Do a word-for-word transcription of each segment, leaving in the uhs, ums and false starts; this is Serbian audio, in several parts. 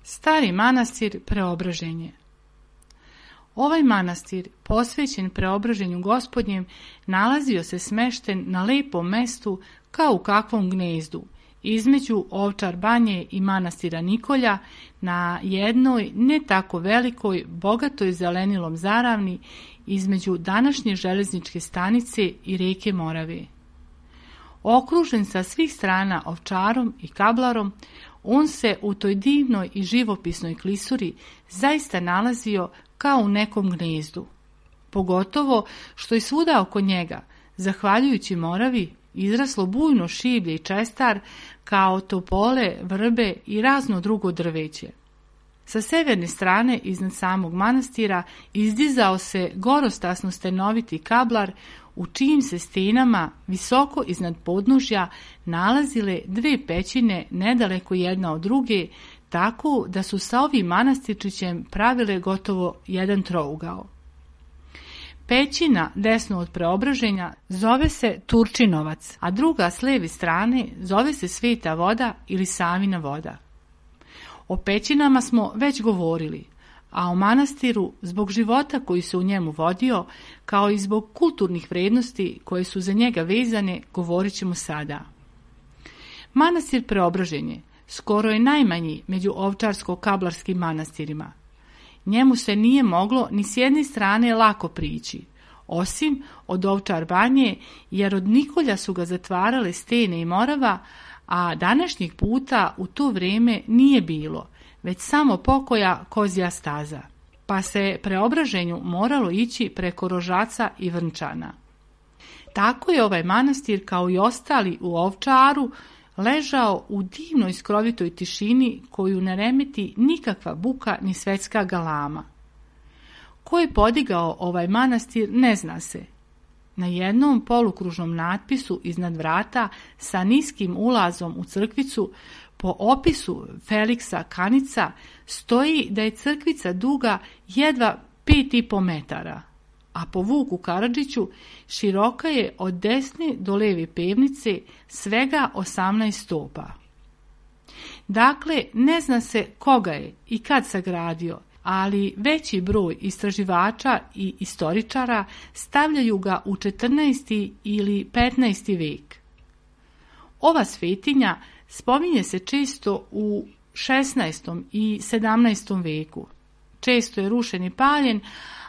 Stari manastir Preobraženje. Ovaj manastir, posvećen Preobraženju Gospodnjem, nalazio se smešten na lepom mestu kao u kakvom gnezdu, između Ovčar banje i manastira Nikolja, na jednoj ne tako velikoj, bogatoj zelenilom zaravni između današnje železničke stanice i reke Morave. Okružen sa svih strana ovčarom i kablarom, on se u toj divnoj i živopisnoj klisuri zaista nalazio kao u nekom gnezdu. Pogotovo što i svuda oko njega, zahvaljujući Moravi, izraslo bujno šiblje i čestar kao topole, vrbe i razno drugo drveće. Sa severne strane iznad samog manastira izdizao se gorostasno stenoviti kablar u čijim se stenama visoko iznad podnožja nalazile dve pećine nedaleko jedna od druge, tako da su sa ovim manastirčićem pravile gotovo jedan trougao. Pećina desno od Preobraženja zove se Turčinovac, a druga s lijeve strane zove se Sveta voda ili Savina voda. O pećinama smo već govorili, a o manastiru zbog života koji se u njemu vodio, kao i zbog kulturnih vrijednosti koje su za njega vezane, govorit ćemo sada. Manastir Preobraženje skoro je najmanji među ovčarsko-kablarskim manastirima. Njemu se nije moglo ni s jedne strane lako prići, osim od Ovčar banje, jer od Nikolja su ga zatvarale stene i Morava, a današnjeg puta u to vrijeme nije bilo, već samo pokoja kozja staza, pa se Preobraženju moralo ići preko Rožaca i Vrnčana. Tako je ovaj manastir, kao i ostali u Ovčaru, ležao u divnoj skrovitoj tišini koju ne remeti nikakva buka ni svetska galama. Ko je podigao ovaj manastir ne zna se. Na jednom polukružnom natpisu iznad vrata sa niskim ulazom u crkvicu po opisu Feliksa Kanica stoji da je crkvica duga jedva pet i po metara, a po Vuku Karadžiću široka je od desne do leve pevnice svega osamnaest stopa. Dakle, ne zna se koga je i kad sagradio, ali veći broj istraživača i istoričara stavljaju ga u četrnaesti ili petnaesti vek. Ova svetinja spominje se često u šesnaestom i sedamnaestom veku. Često je rušen i paljen,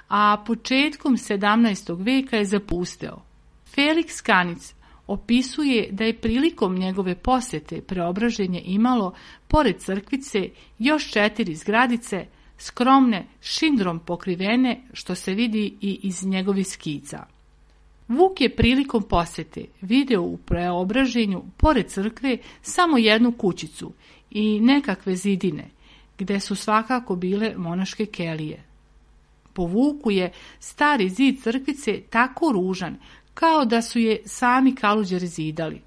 a početkom sedamnaestog veka je zapusteo. Feliks Kanic opisuje da je prilikom njegove posjete Preobraženje imalo, pored crkvice, još četiri zgradice, skromne, šindrom pokrivene, što se vidi i iz njegovih skica. Vuk je prilikom posjete video u Preobraženju, pored crkve, samo jednu kućicu i nekakve zidine, gde su svakako bile monaške kelije. Po Vuku je stari zid crkvice tako ružan, kao da su je sami Kaluđeri zidali.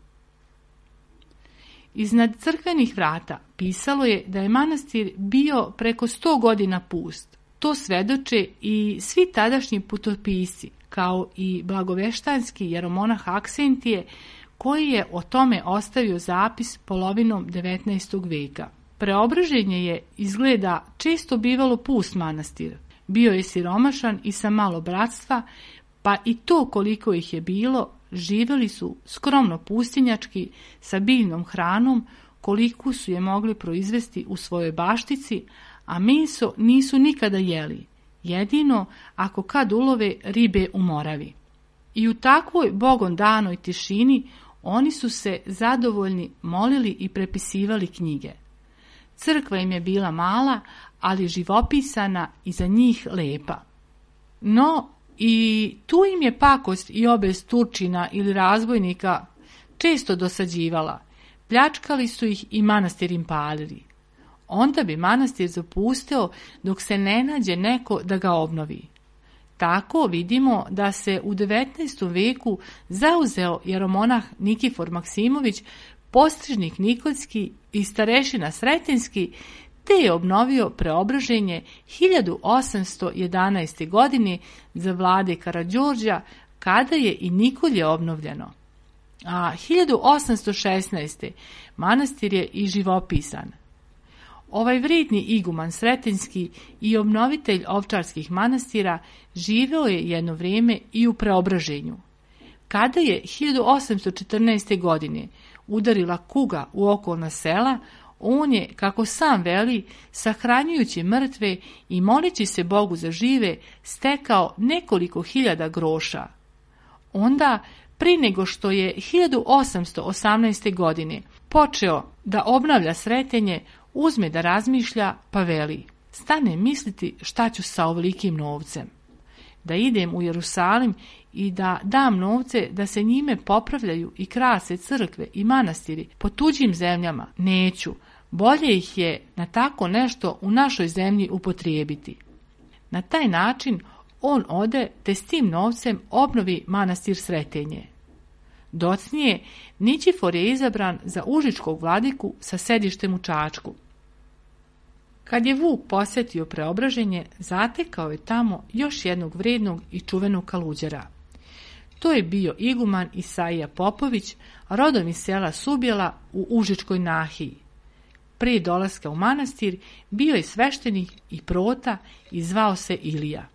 Iznad crkvenih vrata pisalo je da je manastir bio preko sto godina pust. To svedoče i svi tadašnji putopisci, kao i blagoveštanski jeromonah Aksentije, koji je o tome ostavio zapis polovinom devetnaestog veka. Preobraženje je, izgleda, često bivalo pust manastir. Bio je siromašan i sa malo bratstva, pa i to koliko ih je bilo, živjeli su skromno pustinjački, sa biljnom hranom, koliko su je mogli proizvesti u svojoj baštici, a meso nisu nikada jeli, jedino ako kad ulove ribe u Moravi. I u takvoj bogom danoj tišini oni su se zadovoljni molili i prepisivali knjige. Crkva im je bila mala, ali živopisana i za njih lepa. No, i tu im je pakost i obez Turčina ili razbojnika često dosađivala, pljačkali su ih i manastir im palili. Onda bi manastir zapustio dok se ne nađe neko da ga obnovi. Tako vidimo da se u devetnaestom veku zauzeo jeromonah Nikifor Maksimović, postrižnik Nikoljski i starešina Sretenjski, te je obnovio Preobraženje hiljadu osamsto jedanaeste. godine za vlade Karađorđa, kada je i Nikolje obnovljeno. A hiljadu osamsto šesnaeste. manastir je i živopisan. Ovaj vredni iguman Sretenjski i obnovitelj ovčarskih manastira živeo je jedno vrijeme i u Preobraženju. Kada je hiljadu osamsto četrnaeste. godine udarila kuga u okolna sela, on je, kako sam veli, sahranjujući mrtve i moleći se Bogu za žive, stekao nekoliko hiljada groša. Onda, prije nego što je hiljadu osamsto osamnaeste. godine počeo da obnavlja Sretenje, uzme da razmišlja, pa veli: stane misliti šta ću sa ovolikim novcem. Da idem u Jerusalim i da dam novce da se njime popravljaju i krase crkve i manastiri po tuđim zemljama, neću. Bolje ih je na tako nešto u našoj zemlji upotrijebiti. Na taj način on ode te s tim novcem obnovi manastir Sretenje. Docnije, Nikifor je izabran za užičkog vladiku sa sedištem u Čačku. Kad je Vuk posjetio Preobraženje, zatekao je tamo još jednog vrednog i čuvenog kaluđera. To je bio iguman Isaija Popović, rodom iz sela Subjela u Užičkoj nahiji. Prije dolaska u manastir bio je sveštenik i prota i zvao se Ilija.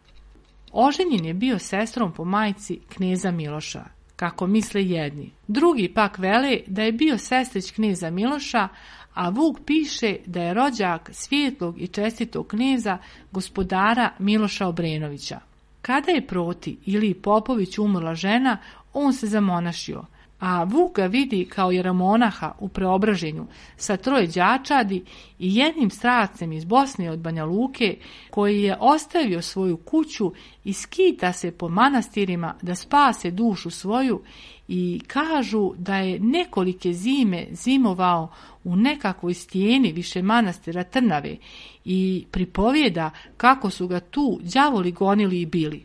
Oženjen je bio sestrom po majci kneza Miloša, kako misle jedni. Drugi pak vele da je bio sestrić kneza Miloša, a Vuk piše da je rođak svijetlog i čestitog kneza gospodara Miloša Obrenovića. Kada je proti Iliji Popović umrla žena, on se zamonašio, a Vuk ga vidi kao jeromonaha u Preobraženju sa troje đačadi i jednim stracem iz Bosne od Banja Luke, koji je ostavio svoju kuću i skita se po manastirima da spase dušu svoju, i kažu da je nekolike zime zimovao u nekakvoj stijeni više manastira Trnave i pripovijeda kako su ga tu đavoli gonili i bili.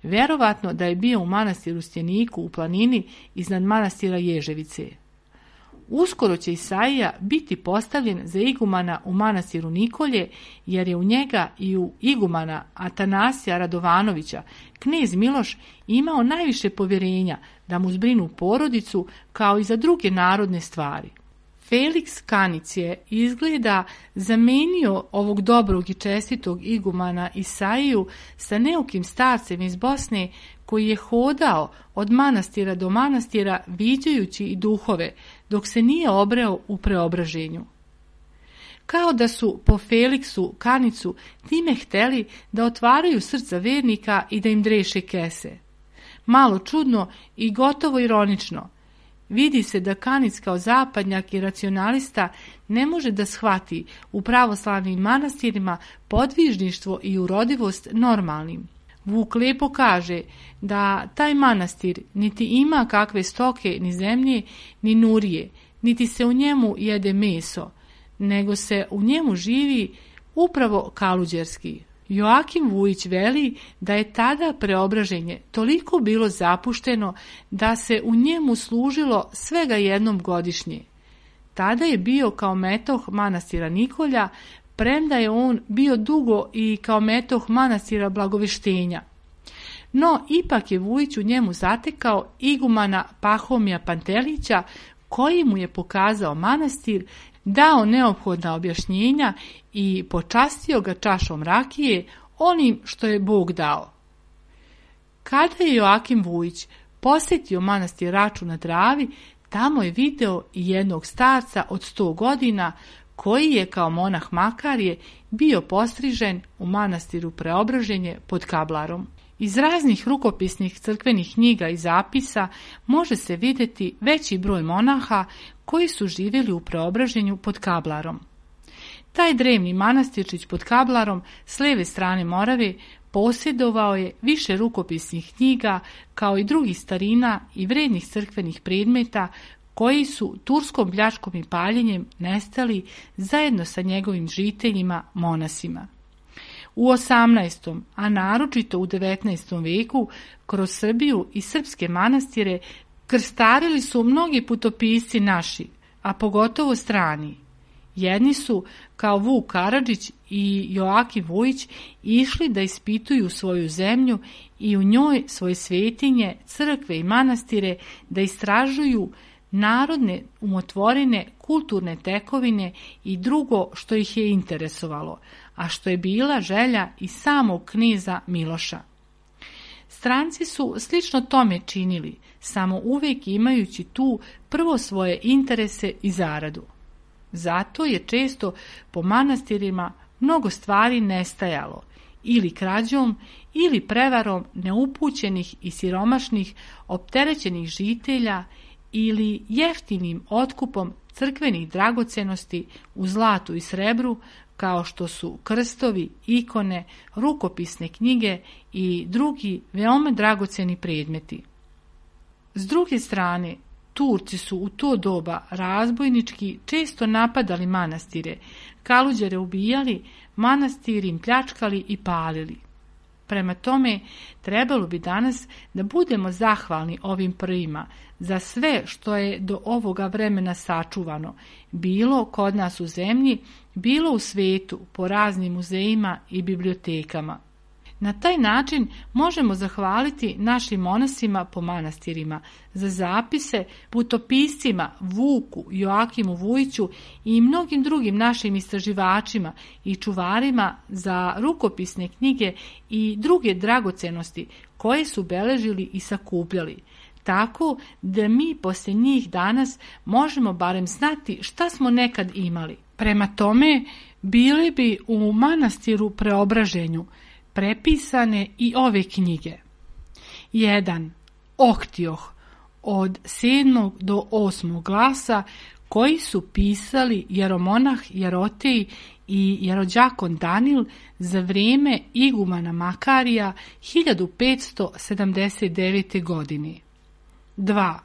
Vjerovatno da je bio u manastiru Stjeniku u planini iznad manastira Ježevice. Uskoro će Isaija biti postavljen za igumana u manastiru Nikolje, jer je u njega i u igumana Atanasija Radovanovića knez Miloš imao najviše povjerenja da mu zbrinu porodicu kao i za druge narodne stvari. Feliks Kanic je izgleda zamenio ovog dobrog i čestitog igumana Isaiju sa neukim starcem iz Bosne, koji je hodao od manastira do manastira viđajući i duhove, dok se nije obreo u Preobraženju. Kao da su po Feliksu Kanicu time hteli da otvaraju srca vernika i da im dreše kese. Malo čudno i gotovo ironično. Vidi se da Kanic kao zapadnjak i racionalista ne može da shvati u pravoslavnim manastirima podvižništvo i urodivost normalnim. Vuk lepo kaže da taj manastir niti ima kakve stoke ni zemlje ni nurije, niti se u njemu jede meso, nego se u njemu živi upravo kaluđerski. Joakim Vujić veli da je tada Preobraženje toliko bilo zapušteno da se u njemu služilo svega jednom godišnje. Tada je bio kao metoh manastira Nikolja, premda je on bio dugo i kao metoh manastira Blagoveštenja. No, ipak je Vujić u njemu zatekao igumana Pahomija Pantelića, koji mu je pokazao manastir, dao neophodna objašnjenja i počastio ga čašom rakije, onim što je Bog dao. Kada je Joakim Vujić posjetio manastir Raču na Dravi, tamo je video i jednog starca od sto godina, koji je kao monah Makarije bio postrižen u manastiru Preobraženje pod Kablarom. Iz raznih rukopisnih crkvenih knjiga i zapisa može se vidjeti veći broj monaha koji su živjeli u Preobraženju pod Kablarom. Taj drevni manastirčić pod Kablarom s lijeve strane Morave posjedovao je više rukopisnih knjiga kao i drugih starina i vrednih crkvenih predmeta koji su turskom pljačkom i paljenjem nestali zajedno sa njegovim žiteljima, monasima. U osamnaestom. a naročito u devetnaestom veku, kroz Srbiju i srpske manastire krstarili su mnogi putopisci naši, a pogotovo strani. Jedni su, kao Vuk Karadžić i Joakim Vujić, išli da ispituju svoju zemlju i u njoj svoje svetinje, crkve i manastire, da istražuju narodne umotvorine, kulturne tekovine i drugo što ih je interesovalo, a što je bila želja i samog kneza Miloša. Stranci su slično tome činili, samo uvijek imajući tu prvo svoje interese i zaradu. Zato je često po manastirima mnogo stvari nestajalo, ili krađom, ili prevarom neupućenih i siromašnih, opterećenih žitelja, ili jeftinim otkupom crkvenih dragocenosti u zlatu i srebru, kao što su krstovi, ikone, rukopisne knjige i drugi veoma dragoceni predmeti. S druge strane, Turci su u to doba razbojnički često napadali manastire, kaluđere ubijali, manastiri im pljačkali i palili. Prema tome, trebalo bi danas da budemo zahvalni ovim prvima za sve što je do ovoga vremena sačuvano, bilo kod nas u zemlji, bilo u svetu, po raznim muzejima i bibliotekama. Na taj način možemo zahvaliti našim monasima po manastirima za zapise, putopiscima Vuku, Joakimu Vujiću i mnogim drugim našim istraživačima i čuvarima za rukopisne knjige i druge dragocenosti koje su beležili i sakupljali, tako da mi poslije njih danas možemo barem znati šta smo nekad imali. Prema tome, bile bi u manastiru Preobraženju prepisane i ove knjige. jedan. Ohtioh od sedmog do osmog glasa, koji su pisali jeromonah Jerotej i jerođakon Danil za vrijeme igumana Makarija hiljadu petsto sedamdeset devete. godine. dva.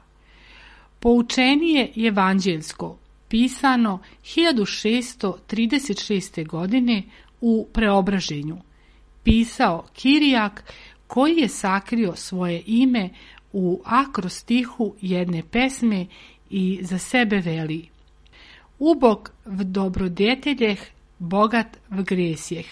Poučenije evanđeljsko, pisano hiljadu šeststo trideset šeste. godine u Preobraženju. Pisao Kirijak, koji je sakrio svoje ime u akrostihu jedne pesme i za sebe veli: Ubog v dobrodeteljeh, bogat v gresjeh.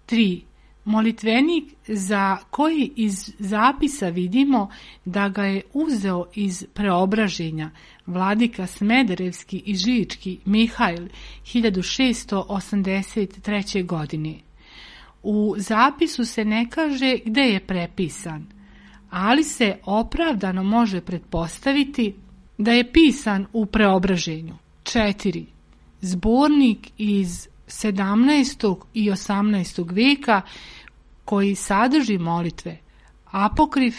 tri. Molitvenik za koji iz zapisa vidimo da ga je uzeo iz Preobraženja vladika Smederevski i Žički Mihajl hiljadu šeststo osamdeset treće. godine. U zapisu se ne kaže gde je prepisan, ali se opravdano može pretpostaviti da je pisan u Preobraženju. četiri. Zbornik iz sedamnaestog i osamnaestog veka koji sadrži molitve, apokrif,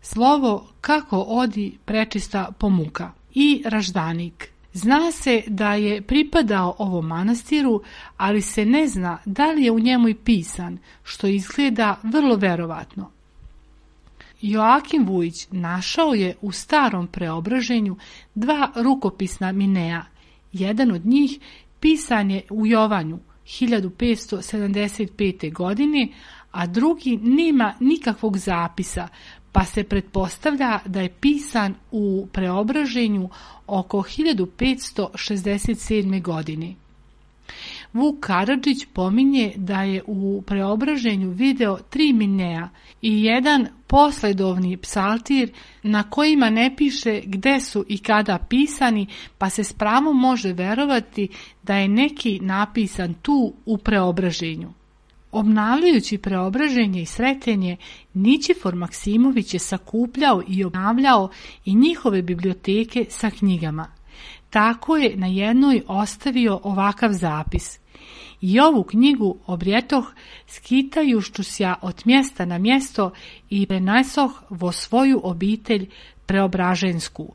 slovo kako odi prečista pomuka i raždanik. Zna se da je pripadao ovom manastiru, ali se ne zna da li je u njemu i pisan, što izgleda vrlo verovatno. Joakim Vujić našao je u starom Preobraženju dva rukopisna minea. Jedan od njih pisan je u Jovanju hiljadu petsto sedamdeset pete. godine, a drugi nema nikakvog zapisa, pa se pretpostavlja da je pisan u Preobraženju oko hiljadu petsto šezdeset sedme. godine. Vuk Karadžić pominje da je u Preobraženju video tri minea i jedan posledovni psaltir na kojima ne piše gde su i kada pisani, pa se s pravom može verovati da je neki napisan tu u Preobraženju. Obnavljajući Preobraženje i Sretenje, Nićifor Maksimović je sakupljao i obnavljao i njihove biblioteke sa knjigama. Tako je na jednoj ostavio ovakav zapis: I ovu knjigu obrjetoh skitajušću sja od mjesta na mjesto i prenesoh vo svoju obitelj Preobražensku.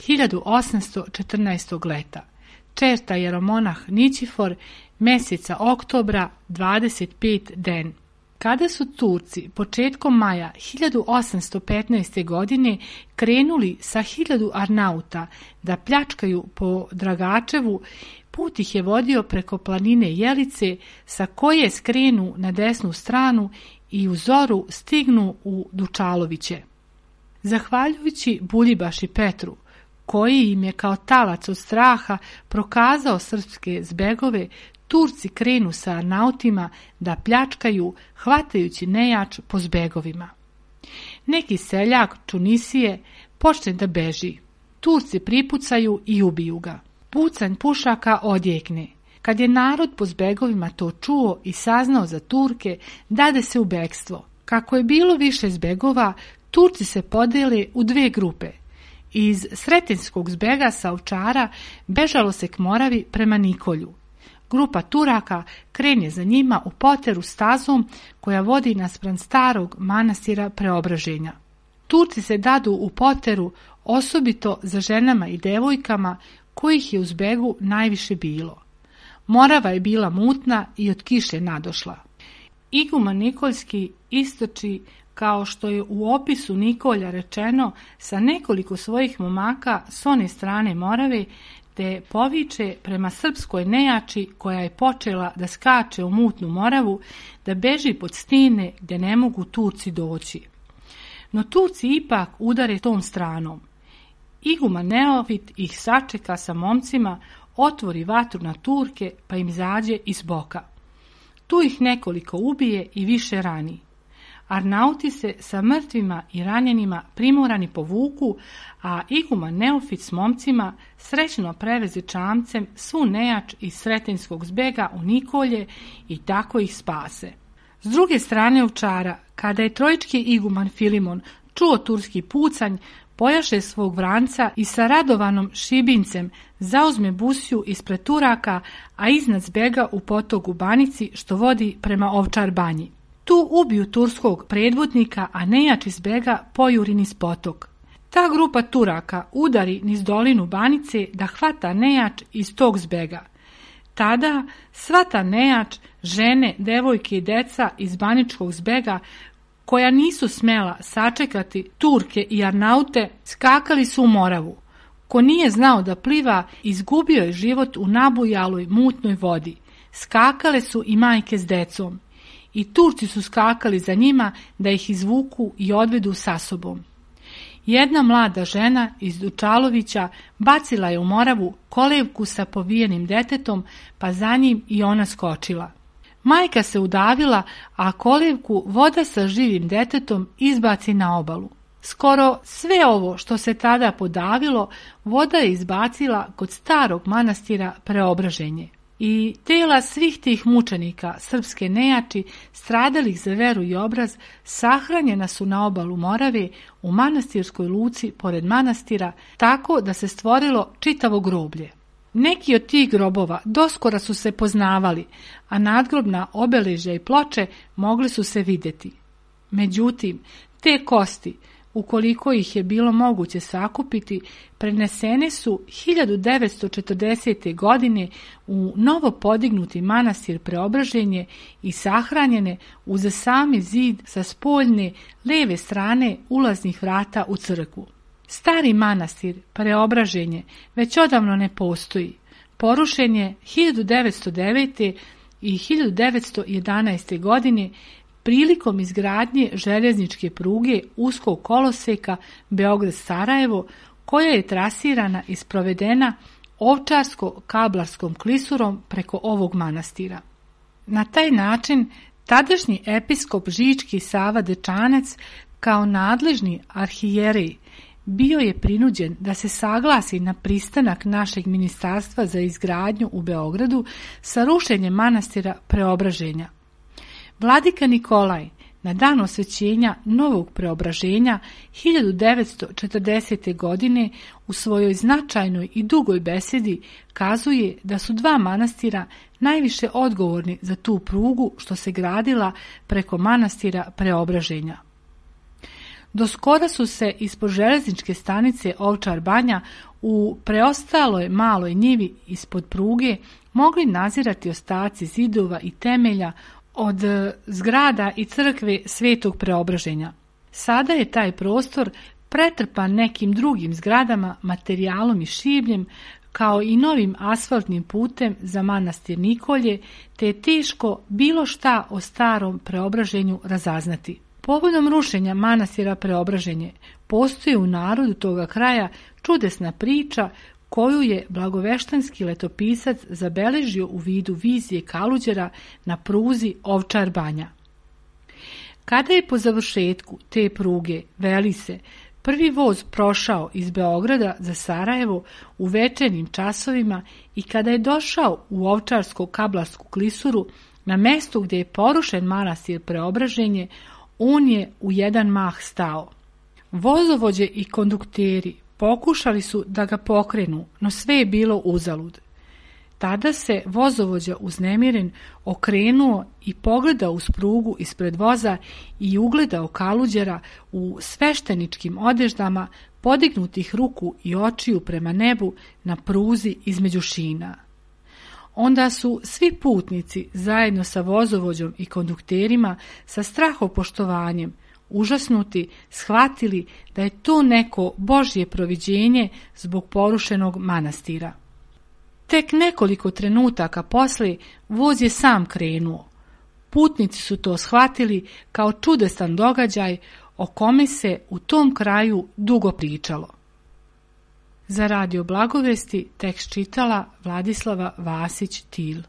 hiljadu osamsto četrnaestog. leta. Čerta jeromonah Nićifor, mjeseca oktobra, dvadeset pet den. Kada su Turci početkom maja hiljadu osamsto petnaeste. godine krenuli sa hiljadu Arnauta da pljačkaju po Dragačevu, put ih je vodio preko planine Jelice, sa koje skrenu na desnu stranu i u zoru stignu u Dučaloviće. Zahvaljujući Buljibaši Petru, koji im je kao talac od straha prokazao srpske zbegove, Turci krenu sa Arnautima da pljačkaju, hvatajući nejač po zbegovima. Neki seljak Čunisije počne da beži. Turci pripucaju i ubiju ga. Pucanj pušaka odjekne. Kad je narod po zbegovima to čuo i saznao za Turke, dade se u bekstvo. Kako je bilo više zbegova, Turci se podele u dve grupe. Iz Sretenskog zbega sa Ovčara bežalo se k Moravi prema Nikolju. Grupa Turaka krene za njima u poteru stazom koja vodi naspram starog manastira Preobraženja. Turci se dadu u poteru osobito za ženama i devojkama, kojih je u zbegu najviše bilo. Morava je bila mutna i od kiše nadošla. Iguman Nikoljski istoči, kao što je u opisu Nikolja rečeno, sa nekoliko svojih momaka s one strane Morave, te poviče prema srpskoj nejači koja je počela da skače u mutnu Moravu, da beži pod stine gdje ne mogu Turci doći. No Turci ipak udare tom stranom. Iguman Neofit ih sačeka sa momcima, otvori vatru na Turke pa im izađe iz boka. Tu ih nekoliko ubije i više rani. Arnauti se sa mrtvima i ranjenima primorani povuku, a Iguman Neofit s momcima srećno preveze čamcem svu nejač iz Sretenskog zbega u Nikolje i tako ih spase. S druge strane Ovčara, kada je trojički iguman Filimon čuo turski pucanj, pojaše svog vranca i sa Radovanom Šibincem zauzme busiju ispred Turaka, a iznad zbega u potogu Banici što vodi prema Ovčar banji. Tu ubiju turskog predvodnika, a nejač iz zbega pojuri niz potok. Ta grupa Turaka udari niz dolinu Banice da hvata nejač iz tog zbega. Tada sva ta nejač, žene, devojke i deca iz Baničkog zbega, koja nisu smela sačekati Turke i Arnaute, skakali su u Moravu. Ko nije znao da pliva, izgubio je život u nabujaloj mutnoj vodi. Skakale su i majke s decom. I Turci su skakali za njima da ih izvuku i odvedu sa sobom. Jedna mlada žena iz Dučalovića bacila je u Moravu kolevku sa povijenim detetom, pa za njim i ona skočila. Majka se udavila, a kolevku voda sa živim detetom izbaci na obalu. Skoro sve ovo što se tada podavilo, voda je izbacila kod starog manastira Preobraženje. I tela svih tih mučenika srpske nejači, stradalih za veru i obraz, sahranjena su na obalu Morave u manastirskoj luci pored manastira, tako da se stvorilo čitavo groblje. Neki od tih grobova doskora su se poznavali, a nadgrobna obeležja i ploče mogli su se vidjeti. Međutim, te kosti, ukoliko ih je bilo moguće sakupiti, prenesene su hiljadu devetsto četrdesete. godine u novo podignuti manastir Preobraženje i sahranjene uz sami zid sa spoljne leve strane ulaznih vrata u crkvu. Stari manastir Preobraženje već odavno ne postoji. Porušen je hiljadu devetsto devete. i hiljadu devetsto jedanaeste. godine prilikom izgradnje željezničke pruge uskog koloseka Beograd-Sarajevo, koja je trasirana i sprovedena ovčarsko-kablarskom klisurom preko ovog manastira. Na taj način tadašnji episkop Žički Sava Dečanac kao nadležni arhijerej bio je prinuđen da se saglasi na pristanak našeg ministarstva za izgradnju u Beogradu sa rušenjem manastira Preobraženja. Vladika Nikolaj na dan osvećenja novog Preobraženja hiljadu devetsto četrdesete. godine u svojoj značajnoj i dugoj besedi kazuje da su dva manastira najviše odgovorni za tu prugu što se gradila preko manastira Preobraženja. Do skora su se ispod železničke stanice Ovčar banja u preostaloj maloj njivi ispod pruge mogli nazirati ostaci zidova i temelja od zgrada i crkve Svetog Preobraženja. Sada je taj prostor pretrpan nekim drugim zgradama, materijalom i šibljem, kao i novim asfaltnim putem za manastir Nikolje, te je teško bilo šta o starom Preobraženju razaznati. Povodom rušenja manastira Preobraženje postoji u narodu toga kraja čudesna priča koju je blagoveštanski letopisac zabeležio u vidu vizije Kaluđera na pruzi Ovčar-Banja. Kada je po završetku te pruge, veli se, prvi voz prošao iz Beograda za Sarajevo u večernjim časovima i kada je došao u Ovčarsko-Kablarsku klisuru, na mestu gdje je porušen manastir Preobraženje, on je u jedan mah stao. Vozovođe i kondukteri pokušali su da ga pokrenu, no sve je bilo uzalud. Tada se vozovođa uznemiren okrenuo i pogledao uz prugu ispred voza i ugledao Kaluđera u svešteničkim odeždama, podignutih ruku i očiju prema nebu na pruzi između šina. Onda su svi putnici zajedno sa vozovođom i kondukterima sa strahopoštovanjem užasnuti shvatili da je to neko Božje proviđenje zbog porušenog manastira. Tek nekoliko trenutaka poslije voz je sam krenuo. Putnici su to shvatili kao čudesan događaj o kome se u tom kraju dugo pričalo. Za Radio Blagovesti tekst čitala Vladislava Vasić-Til.